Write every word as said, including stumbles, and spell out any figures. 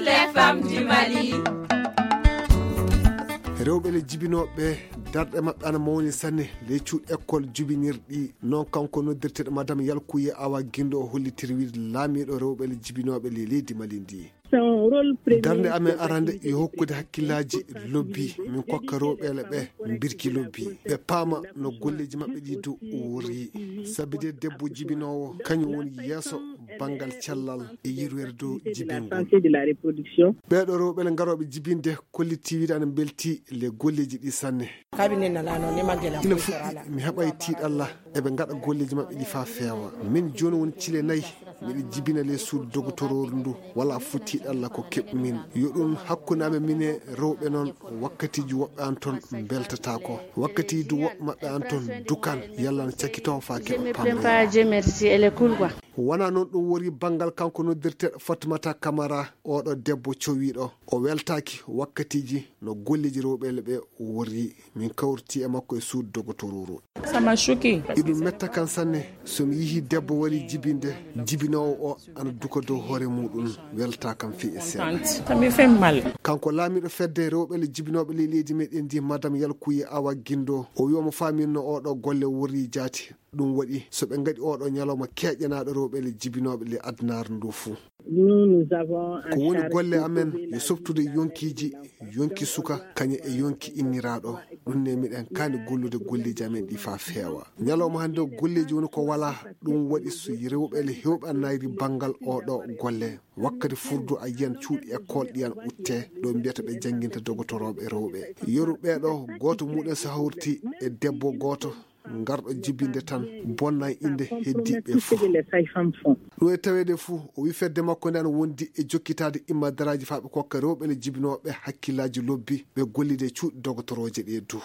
F M du Mali. Rewɓe le jibinooɓe, darɗe maɓɓe ana mawni sanne ley cuuɗi école jibinirɗi. Noon kanko noddirteeɗo Madame Yalkuye Awa Gindo o hollitiri wiide laamiiɗo rewɓe le jibinooɓe ley leydi Mali ndi. Darnde amen arande yo hokkude hakkillaaji lobbi, min kokka rewɓe le ɓe mbirki lobbi, ɓe paama no golleeji maɓɓe ɗi du worri. Sabi de debbo jibinoowo kañum woni yeeso banngal cellal e yirwere dow jibingol. Ɓeeɗo rewɓe le ngarooɓe jibinde kolliti wiide ana mbelti le golleeji ɗi sanne. Ina fuɗɗi mi heɓay tiiɗalla eɓe ngaɗa golleeji maɓɓe ɗi faa feewa. Min jooni woni cile nayi miɗo jibina le suudu dogotorooru ndu, wala fuu tiiɗalla ko keɓ min. Yo ɗum hakkunde amen min e rewɓe noon, wakkatiiji woɓɓe an toon mbeltataako. Wakkatiiji du woɓɓe maɓɓe an toon dukan, yalla no cakkitoo faa keɓa pamre. Wona noon ɗum wori banngal kanko noddirteeɗo Fatimata Kamara, oɗo debbo cowiiɗo. O weltaaki wakkatiiji no golleeji rewɓe le ɓe worri. Min kawriti e makko e suudu dogotorooru. Iɗum metta kan sanne so mi yihi debbo wari jibinde, jibinoowo o ana duka dow hoore muɗum, welta kam fii e seeɗa. Kanko laamiiɗo fedde rewɓe le jibinooɓe ley leydi meɗen ndi, Madame Yalkuye Awa Gindo, o wi'o mo faaminno oɗo golle worri jaati. Ɗum waɗi so ɓe ngaɗi oɗo ñalawma keeƴanaaɗo rewɓe le jibinooɓe le adunaaru ndu fuu. Ko woni golle amen yo softude yonkiiji, yonki suka, kañum e yonki inniraaɗo. Ɗum ne miɗen kaani gollude golleeji amen ɗi faa feewa. Ñalawma hannde o golleeji woni ko walaa, ɗum waɗi so rewɓe le heewɓe an nayri banngal oɗo golle. Wakkati furdu a yiyan cuuɗi école ɗi an utte, ɗo mbiyata ɓe jannginta dogotorooɓe rewɓe. Yeru ɓeeɗo gooto muɗum so hawriti e debbo gooto, ngarɗo jibinde tan, bonna innde heddiiɓe fof. Ɗum e taweede fuu, o wi fedde makko nde ana wondi e jokkitaade immadaraaji faa ɓe kokka rewɓe le jibinooɓe hakkillaaji lobbi, ɓe gollida e cuuɗi dogotorooje ɗe du.